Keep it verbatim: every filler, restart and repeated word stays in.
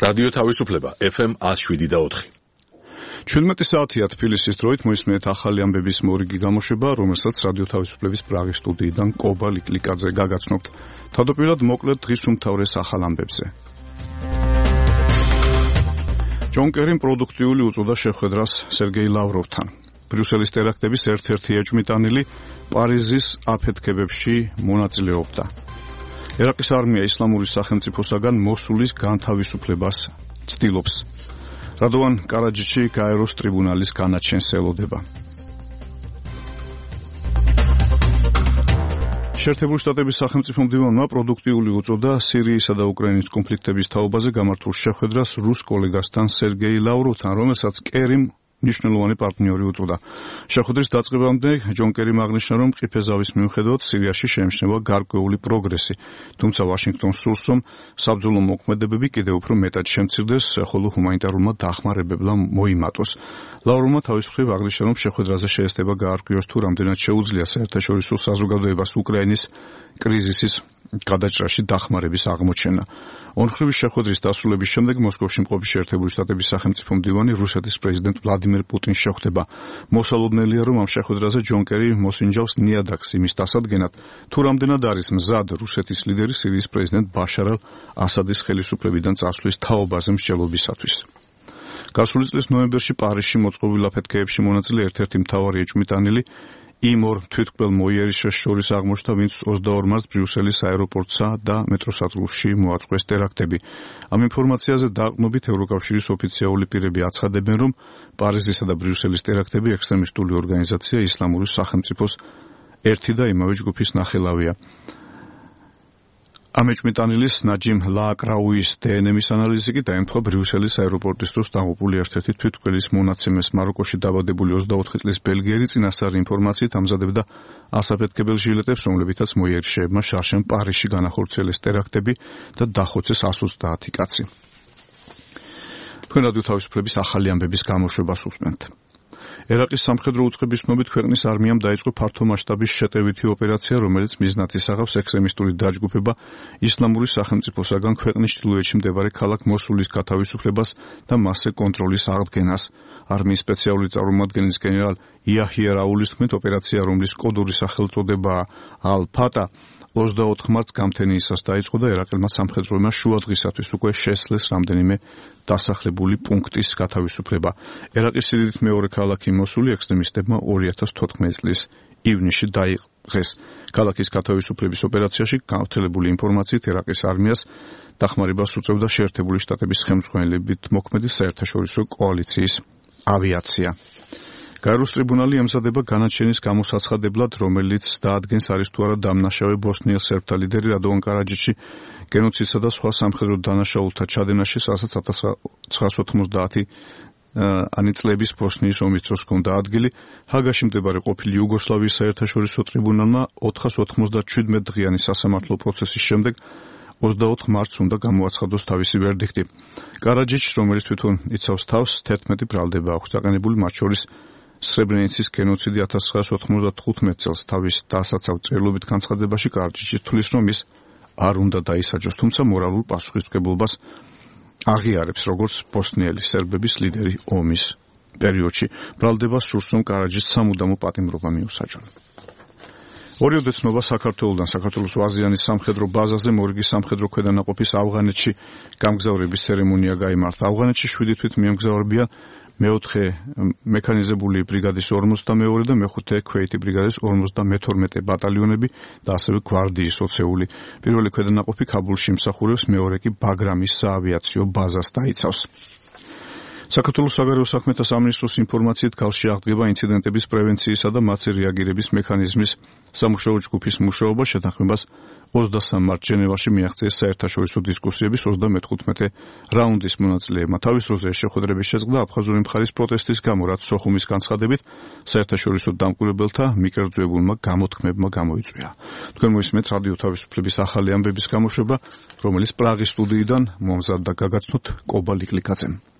რადიო თავისუფლება ეფ ემ one oh seven და four. ჩვენმეტი საათია თბილისის დროით მოისმენთ ახალი ამბების მორიგი გამოშვება, რომელსაც რადიო თავისუფლების პრაღის სტუდიიდან კობა ლიკლიკაძე გაგაცნობთ. თავდაპირველად მოკლედ დღის უმთავრეს ახალ ამბებზე. ჯონ კერიმ პროდუქტიული უწოდა შეხვედრას სერგეი ლავროვთან. ბრიუსელის ტერაქტების ერთ-ერთი ეჭვმიტანილი პარიზის აფეთქებებში მონაწილეობდა. ერაყის არმია ისლამური სახელმწიფოსაგან მოსულის განთავისუფლებას ცდილობს. რადოვან კარაჯიჩი გაეროს ტრიბუნალის განაჩენს ელოდება. შეერთებული შტატების სახელმწიფო მდივანმა პროდუქტიული უწოდა სირიისა და უკრაინის კონფლიქტების თაობაზე გამართულ შეხვედრას რუს კოლეგასთან სერგეი ლავროვთან, რომელსაც კერიმ ნიშნულოვანი პარტნიორი უწოდა. შეხვედრის დაწყებამდე ჯონ კერიმ აღნიშნა, რომ მყიფე ზავის მიუხედავად სირიაში შეიმჩნევა გარკვეული პროგრესი, თუმცა ვაშინგტონს სურს, რომ საბრძოლო მოქმედებები კიდევ უფრო მეტად შემცირდეს, ხოლო ჰუმანიტარულმა დახმარებებმა მოიმატოს. ლავროვმა თავის მხრივ აღნიშნა, რომ შეხვედრაზე შეესწება გაარკვიოს თუ რამდენად შეუძლია საერთაშორისო საზოგადოებას უკრაინის კრიზისის გადაჭრაში დახმარების აღმოჩენა. ორმხრივი შეხვედრის დასრულების შემდეგ მოსკოვში მყოფი შეერთებული შტატების სახელმწიფო მდივანი რუსეთის პრეზიდენტ ვლადიმერ პუტინს შეხვდება. მოსალოდნელია, რომ ამ შეხვედრაზე ჯონ კერი მოსინჯავს ნიადაგს იმის დასადგენად, თუ რამდენად არის მზად რუსეთის ლიდერი სირიის პრეზიდენტ ბაშარ ალ-ასადის ხელისუფლებიდან წასვლის თაობაზე მსჯელობისათვის. გასული წლის ნოემბერში პარიზში მოწყობილ აფეთქებებში მონაწილე ერთ-ერთი მთავარი ეჭვმიტანილი იმ ორ თვითმკვლელ მოიერიშეს შორის აღმოჩნდა, ვინც ოცდაორ მარტს ბრიუსელის აეროპორტსა და მეტროსადგურში მოაწყვეს ტერაქტები. ამ ინფორმაციაზე დაყრდნობით ევროკავშირის ოფიციალური პირები აცხადებენ, რომ პარიზისა და ბრიუსელის ტერაქტები ექსტრემისტული ორგანიზაცია ისლამური სახელმწიფოს ერთი და იმავე ჯგუფის ნახელავია. ამ ეჭვმიტანილის ნაჯიმ ლააკრაუის დე εν ემის ანალიზი კი დაემთხვა ბრიუსელის აეროპორტის დროს დაღუპული ერთ-ერთი თვითმკვლელის მონაცემეს. მაროკოში დაბადებული ოცდაოთხი წლის ბელგიელი წინასწარი ინფორმაციით ამზადებდა ასაფეთქებელ ჟილეტებს, რომლებითაც მოიერიშეებმა შარშემ პარიზში განახორციელეს ტერაქტები და დახოცეს one hundred twenty კაცი. თქვენ რადიო თავისუფლების ახალი ამბების გამოშვებას უსმენთ. ერაყის სამხედრო უწყების ცნობით ქვეყნის არმიამ დაიწყო ფართომასშტაბის შეტევითი ოპერაცია, რომელიც მიზნად ისახავს ექსტრემისტული დაჯგუფება ისლამური სახელმწიფოსაგან ქვეყნის ჩრდილოეთში მდებარე ქალაქ მოსულის გათავისუფლებას და მასზე კონტროლის აღდგენას. არმიის სპეციალური წარმომადგენლის გენერალ იაჰია რაულის თქმით, ოპერაცია, რომლის კოდური სახელწოდებაა ალ-ფატა, ოცდაოთხ მარტს გამთენიისას დაიწყო და ერაყელმა სამხედროებმა შუადღისათვის უკვე შესძლეს რამდენიმე დასახლებული პუნქტის გათავისუფლება. ერაყის სიდიდით მეორე ქალაქი მოსული ექსტრემისტებმა ორი ათას თოთხმეტი წლის ივნისში დაიღეს. ქალაქის გათავისუფლების ოპერაციაში გავრცელებული ინფორმაციით ერაყის არმიას დახმარებას უწევდა შეერთებული შტატების ხელმძღვანელობით მოქმედი საერთაშორისო კოალიციის ავიაცია. გაეროს ტრიბუნალი ემზადება განაჩენის გამოსაცხადებლად, რომელიც დაადგენს არის თუ არა დამნაშავე ბოსნიელ სერბთა ლიდერი რადოვან კარაჯიჩი გენოციდსა და სხვა სამხედრო დანაშაულთა ჩადენაში, რასაც ათას ცხრაასი ოთხმოცდაათი ანი წლების ბოსნიის ომის დროს ჰქონდა ადგილი. ჰაგაში მდებარე ყოფილი იუგოსლავიის საერთაშორისო ტრიბუნალმა ოთხას ოცდაშვიდ დღიანი სასამართლო პროცესის შემდეგ ოცდაოთხ მარტს უნდა გამოაცხადოს თავისი ვერდიქტი. კარაჯიჩს, რომელიც თვითონ იცავს თავს, თერთმეტი ბრალდება აქვს დაყენებული, მათ შორის სრებრენიცის გენოციდი ათას ცხრაასი ოთხმოცდათხუთმეტ წელს. თავის დასაცავ წერილობით განცხადებაში კარაჯიჩი თვლის, რომ ის არ უნდა დაისაჯოს, თუმცა მორალურ პასუხისმგებლობას აღიარებს, როგორც ბოსნიელი სერბების ლიდერი ომის პერიოდში. ბრალდებას სურს, რომ კარაჯიჩს სამუდამო პატიმრობა მიუსაჯონ. ორიოდე ცნობა საქართველოსთან საქართველოს ვაზიანის სამხედრო ბაზაზე მორიგი სამხედრო ქვედანაყოფის ავღანეთში გამგზავრების ცერემონია გაიმართა. ავღანეთში შვიდი თვით მიემგზავრებიან მეოთხე მექანიზებული ბრიგადის ორმოცდამეორე და მეხუთე ქვეითი ბრიგადის ორმოცდამეთორმეტე ბატალიონები და ასევე გვარდიის ოცეული. პირველი ქვედანაყოფი ქაბულში იმსახურებს, მეორე კი ბაგრამის საავიაციო ბაზას დაიცავს. საქართველოს საგარეო საქმეთა სამინისტროს ინფორმაციით ქალში აღდგება ინციდენტების პრევენციისა და მათზე რეაგირების მექანიზმის სამუშაო ჯგუფის მუშაობა. შეთანხმებას ოცდასამ მარტს ჟენევაში მიაღწიეს საერთაშორისო დისკუსიების ოცდამეთხუთმეტე რაუნდის მონაწილეებმა. თავის დროზე შეხვედრების შეწყდა აფხაზური მხარის პროტესტის გამო, რაც სოხუმის განცხადებით საერთაშორისო დამკვირვებელთა მიკერძოებულმა გამოთქმებმა გამოიწვია. თქვენ მოისმენთ რადიო თავისუფლების ახალი ამბების გამოშვება, რომელიც პრაღის სტუდიიდან მომზადდა გაგაცნოთ კობა ლიკლიკაძემ.